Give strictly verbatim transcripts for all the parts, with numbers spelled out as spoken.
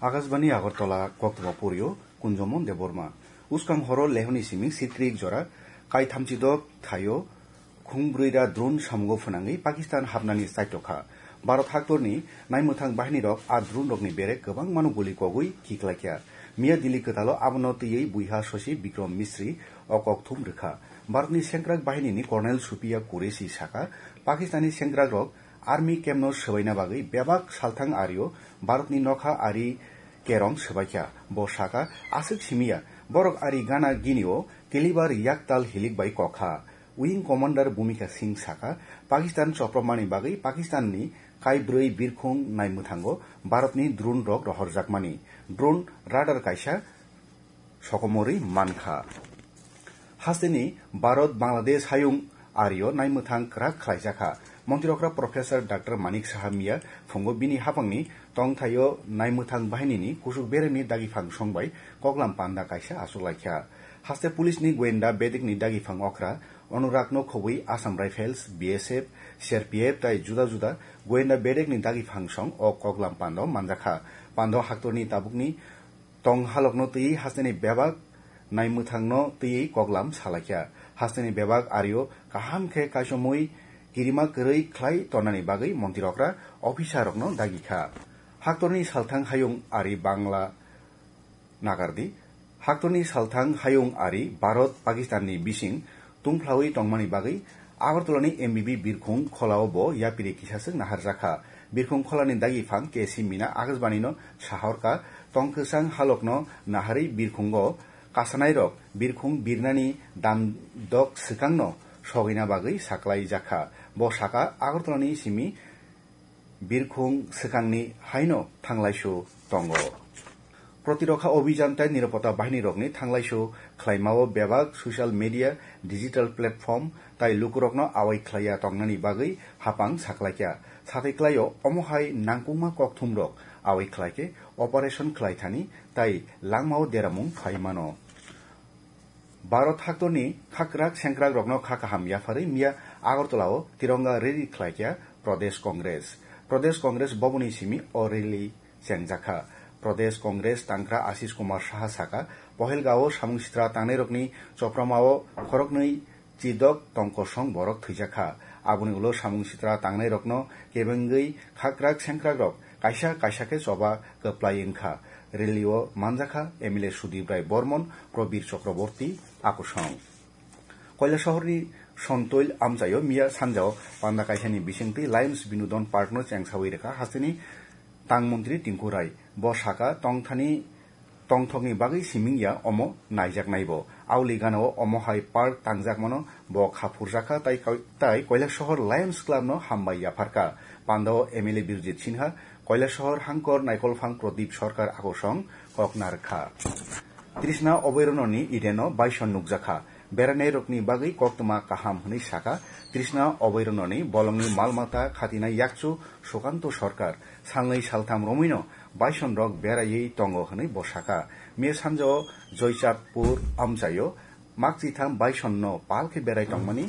Akashbani Agartala, koktwma porio Kunjomon Debbarma. Uskang horo lehoni simi sitrik jora kaithamchi dok thaio khungbrwi da drone samungo phwnangwi Pakistan hapnani chaitokha. Bharat haktorni naimwthang bahinirok a drone rokni bere kwbangmano guli kogwi kiklaikha. Miya Delhi kwtalo abono twiwi buiha sosi Bikram Misri o kokthum rwkha. Bharatni sengkrak bahinini Colonel Supriya Qureshi saka, Pakistanni sengkrakrok army campno swbaina bagwi bebak salthang ario Bharatni nokha ari kerong swbaikha. Bo saka, aswk simiya, borok ari gana ginio kilibar yaktal hilik bai kokha. Wing Commander Bhumika Singh saka, Pakistan chopropmani bagwi Pakistanni kaibrwi birkhung naimwthango Bharatni drone rok rohorjakmani. Drone radar kaisa sokomorwi mankha. Hasteni Bharat Bangladesh hayung ario naimwthang kwrak khlaijakha. Montirokra Professor Doctor Manik Saha miya phungo bini hapangni tongthaio naimwthang bahinini kusuk beremni dagiphang song bai koklam panda kaisa achuklaikha. Haste police ni goyenda bedekni dagiphang okra Anuragno khobwi Assam Rifles, B S F, C R P F tai juda juda goyenda bedekni dagiphang song o koklam pando manjakha. Pando haktorni tabukni tong halokno twiwi hasteni bebak naimwthangno twiwi koklam salaikha. Hasteni bebak ario kaham khe kaisomwi kirima kwrwi khlai tonani bagwi montirokra officerrokno dagikha. Haktorni salthang hayung ari Bangla nagardi. Haktorni salthang hayung ari Bharat Pakistanni bising tungphlawi tongmani bagwi Agartalani M B B birkhung kholao bo yapiri kisaswk naharjakha. Birkhung kholani dagiphang K C Mina Akashbanino sahorkha, tong kwchang halokno naharwi birkhungo kasanairok birkhung birnani damdok swkangno sogwina bagwi saklaijakha. Bo saka, Agartalani simi birkhung swkangni haino thanglaisu tongo. Protirokha Abhijan tai Nirapota Bahinirokni thanglaisu khlaimao bebak social media, digital platform tai lukurokno awai khlaiya tongnani bagwi hapang saklaikha. Sathai klaio omo hai nangkukma kokthumrok awai khlaikhe operation khlaithani tai langmao deramung phaimano. Bharat haktorni khakrak sengkrakrokno kha kaham yapharwi miya Agartalao Tironga rally khlaikha Pradesh Congress. Pradesh Congress boboni simi o rally chengjakha. Pradesh Congress tangkra Ashish Kumar Saha saka, Pahalgamao samung sitra tangnairokni chopramao khoroknwi chidok tongkosong borok thwijakha. Aboni ulo samung sitra tangnairokno kebengwi khakrak sengkrakrok kaisa kaisa khe choba kwplai wngkha. Rally-o manjakha M L A Sudip Rai Bormon, Probir Chakraborty, akusong. Koilasohorni Sontoil amchaio miya sanjao panda kaisani bisingtwi Lions Binodon Park-no chengsawi rwkha hasteni tang montri Tinku Rai. Bo saka tongthani tongthokni bagwi siming ya omo naijaknaibo. Auli ganao omo hai park tangjakmano bo kha phurjakha tai koi-, tai Koilasohor Lions Club-no hambai yapharkha. Pandao M L A Birjit Sinha, Koilasohor hangkor naikolphang Pradip Sarkar akusong kok narwkha. Trishna Oboirononi Eden-o baison nukjakha. Berainairokni bagwi koktwma kaham hwnwi saka Trishna Oboirononi bolongni malmata khatinai yakchu Sukanto Sarkar. Salnwi saltham romwino baisonrok beraiwi tongo hwnwi bo saka. Miya sanjao Joychandpur amchaio makchitham baisonno pal khe berai tongmani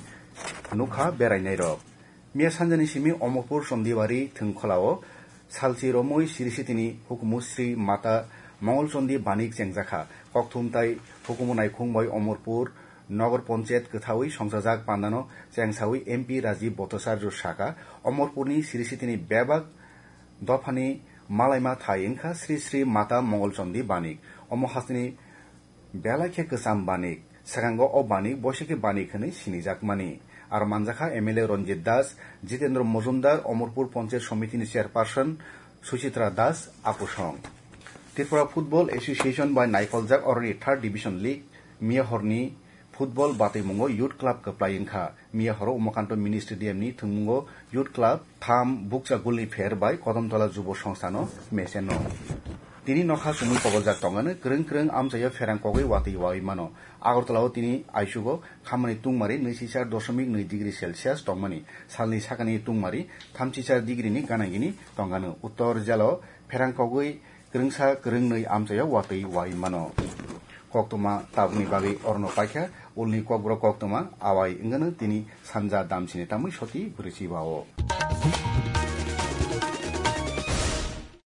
nukha berainairok. Miya sanjani simi Omorpur Chondibari thwngkholao salchi romwi Sri Sitini hukumu Sri Mata Mongolchondi Banik chengjakha. Kokthum tai hukumu naikhung bai Omorpur Nogor Ponchayat kwthawi songchajak pandano chengsawi M P Rajiv Bhattacharya saka, Omorpurni Sri Sitini bebak dophani malaima thai wngkha Sri Sri Mata Mongolchondi Banik. Omo hasteni belai khe kwcham Banik. Swkango o Banik boisi khe Banik hwnwi sinijakmani. Aro manjakha M L A Ranjit Das, Jitendra Majumdar, Omorpur Ponchayat Somitini Chairperson Suchitra Das akusong. Tripura Football Association bai naikoljak oroni Third Division League miya horni football batwimungo Youth Club kwplai wngkha. Miya horo Umakanto Mini Stadium ni thwngmungo Youth Club tham bukcha gulni pher bai Kodamtola Jubo Songstha no mecheno. Tini nokha chumui koboljak tongani kwrwng kwrwng amchaio pherang kogwi watwi wawi mano. Agartala o tini aichugo khamani tungmari nwichi char doshomik nwi degree Celsius tongmani. Salni sakani tungmari thamchi char degree ni gana gini tongano. Uttor jalo pherang kogwi kwrwngsa kwrwngnwi amchaio watwi wai mano. Koktwma tabukni bagwi orono paikha, ulni kokborok koktwma awai wngano tini sanja damchini tamwi soti bwrwichi bao.